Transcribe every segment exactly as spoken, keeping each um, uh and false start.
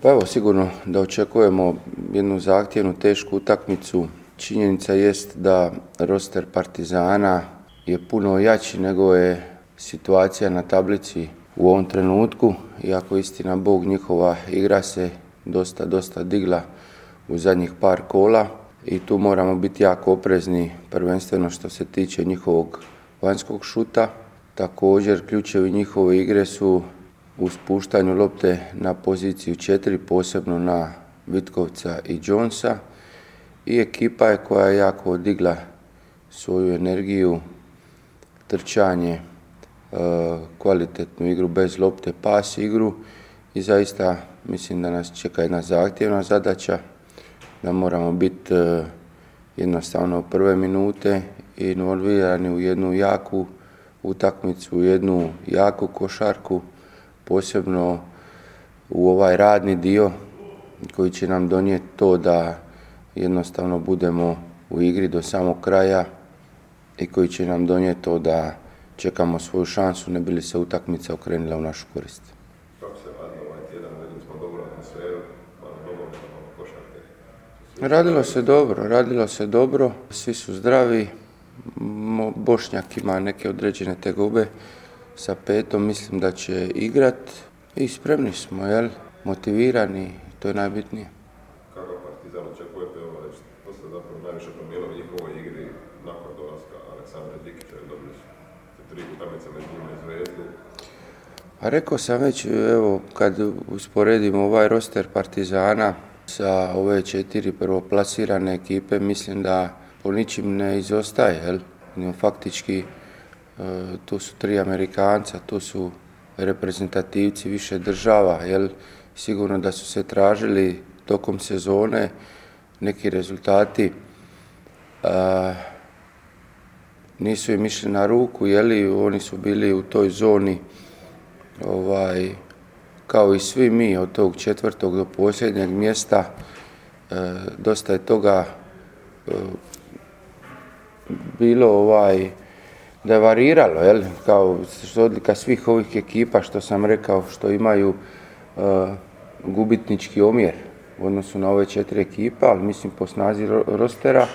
Pa evo, sigurno da očekujemo jednu zahtjevnu, tešku utakmicu. Činjenica jest da roster Partizana je puno jači nego je situacija na tablici u ovom trenutku. Iako istina Bog, njihova igra se dosta, dosta digla u zadnjih par kola i tu moramo biti jako oprezni, prvenstveno što se tiče njihovog vanjskog šuta. Također, ključevi njihove igre su u spuštanju lopte na poziciju četiri, posebno na Vitkovca i Jonesa. I ekipa je koja je jako odigla svoju energiju, trčanje, kvalitetnu igru bez lopte, pas igru i zaista mislim da nas čeka jedna zahtjevna zadaća, da moramo biti jednostavno prve minute involvirani u jednu jaku utakmicu, u jednu jaku košarku, posebno u ovaj radni dio koji će nam donijeti to da jednostavno budemo u igri do samog kraja i koji će nam donijeti to da čekamo svoju šansu, ne bi li se utakmica okrenula u našu korist. Kako se radilo ovaj tjedan, vidjeli smo dobru atmosferu, malo dobro košarke? Radilo se dobro, radilo se dobro, svi su zdravi, Bošnjak ima neke određene tegobe sa petom, mislim da će igrat i spremni smo, jel? Motivirani, to je najbitnije. Kako Partizan očekujete ovo reći? To se zapravo najviše promijenilo u njihovoj igri nakon dolaska Aleksandra Dikića, jer dobili su tri utakmice među njima i Zvezdu. A rekao sam već, evo, kad usporedimo ovaj roster Partizana sa ove četiri prvoplasirane ekipe, mislim da po ničim ne izostaje, jel? Faktički, tu su tri Amerikanca, tu su reprezentativci više država, jel? Sigurno da su se tražili tokom sezone neki rezultati, a, nisu im išli na ruku, jeli, oni su bili u toj zoni, ovaj, kao i svi mi, od tog četvrtog do posljednjeg mjesta, e, dosta je toga e, bilo ovaj, da je variralo, jel, kao što odlika svih ovih ekipa što sam rekao, što imaju e, gubitnički omjer u odnosu na ove četiri ekipa, ali mislim po snazi rostera. E,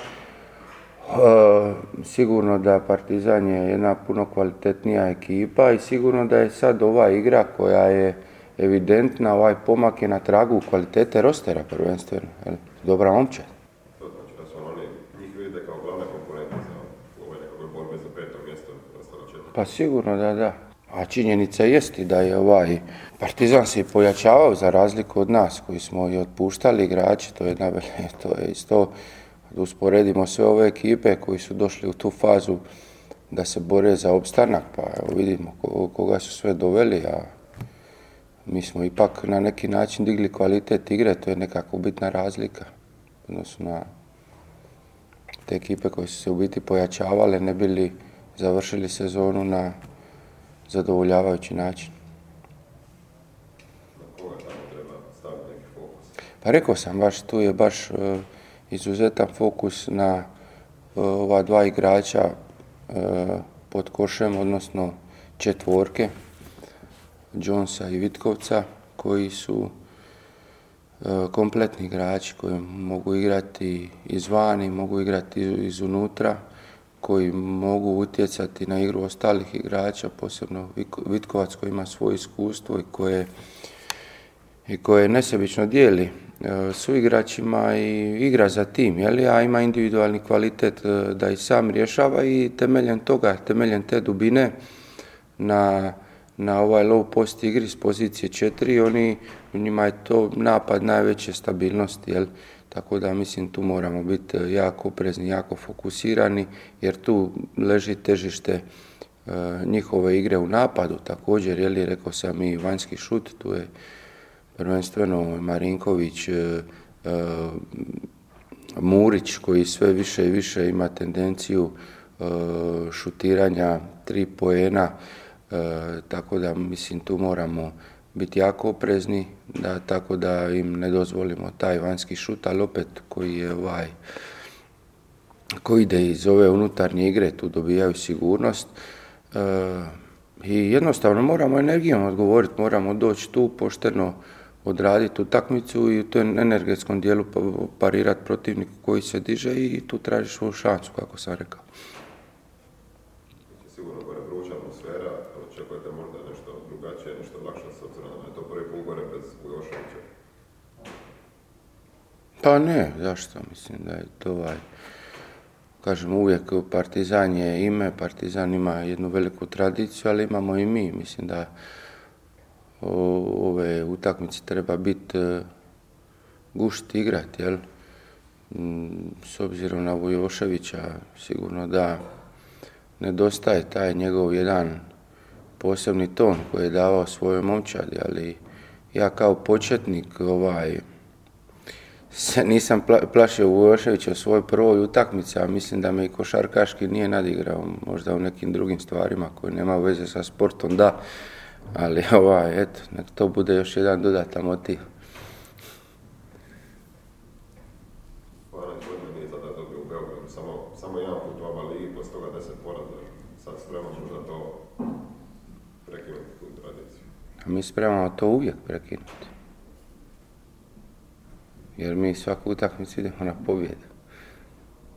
sigurno da Partizan je jedna puno kvalitetnija ekipa i sigurno da je sad ova igra koja je evidentna, ovaj pomak je na tragu kvalitete rostera prvenstveno, jel, dobra momčad. To znači da su oni, njih vidite kao glavne konkurente za ove nekakve borbe za peto mjesto ostalo četiri? Pa sigurno da da. A činjenica jest da je ovaj Partizan se pojačavao za razliku od nas koji smo i otpuštali igrače, to je, to je isto, da usporedimo sve ove ekipe koji su došli u tu fazu da se bore za opstanak, pa evo vidimo koga su sve doveli, a mi smo ipak na neki način digli kvalitet igre, to je nekako bitna razlika odnosno na te ekipe koje su se u biti pojačavale, ne bili završili sezonu na zadovoljavajući način. Na koga tamo treba staviti neki fokus? Pa rekao sam baš, tu je baš uh, izuzetan fokus na uh, ova dva igrača uh, pod košem, odnosno četvorke, Jonesa i Vitkovca, koji su uh, kompletni igrači koji mogu igrati izvani, mogu igrati izunutra, koji mogu utjecati na igru ostalih igrača, posebno Vitkovac koji ima svoje iskustvo i koje, i koje nesebično dijeli su igračima i igra za tim, jeli, a ima individualni kvalitet da i sam rješava i temeljem toga, temeljem te dubine na, na ovaj low post igri s pozicije četiri, oni, njima je to napad najveće stabilnosti, jel? Tako da mislim tu moramo biti jako oprezni, jako fokusirani jer tu leži težište e, njihove igre u napadu. Također, je li, rekao sam i vanjski šut, tu je prvenstveno Marinković, e, e, Murić koji sve više i više ima tendenciju e, šutiranja tri poena, e, tako da mislim tu moramo biti jako oprezni, da, tako da im ne dozvolimo taj vanjski šut, ali opet koji je ovaj, koji ide iz ove unutarnje igre, tu dobijaju sigurnost e, i jednostavno moramo energijom odgovoriti, moramo doći tu pošteno odraditi utakmicu i u tom energetskom dijelu parirati protivniku koji se diže i tu tražiš svoju šansu, kako sam rekao. Sigurno gore vruća atmosfera, očekujete možda nešto drugačije, nešto lakše s obzirom da je to prvi put gore bez Vujoševića? Pa ne, zašto? Mislim da je to ovaj, kažem uvijek Partizan je ime, Partizan ima jednu veliku tradiciju, ali imamo i mi. Mislim da ove utakmice treba biti gušt igrati, jel? S obzirom na Vujoševića sigurno da nedostaje taj njegov jedan posebni ton koji je davao svojoj momčadi, ali ja kao početnik ovaj, se nisam plašio Vujoševića u svojoj prvoj utakmici, a mislim da me i košarkaški nije nadigrao, možda u nekim drugim stvarima koje nema veze sa sportom, da, ali ovaj, eto, nek to bude još jedan dodatan motiv. Hvala, čudno nije tada dobio u Beogradu, samo, samo jedan put u ova ligi, poslije toga deset poraza, sad spremamo možda to prekinuti tu tradiciju. A mi spremamo to uvijek prekinuti. Jer mi svaku utakmicu idemo na pobjedu.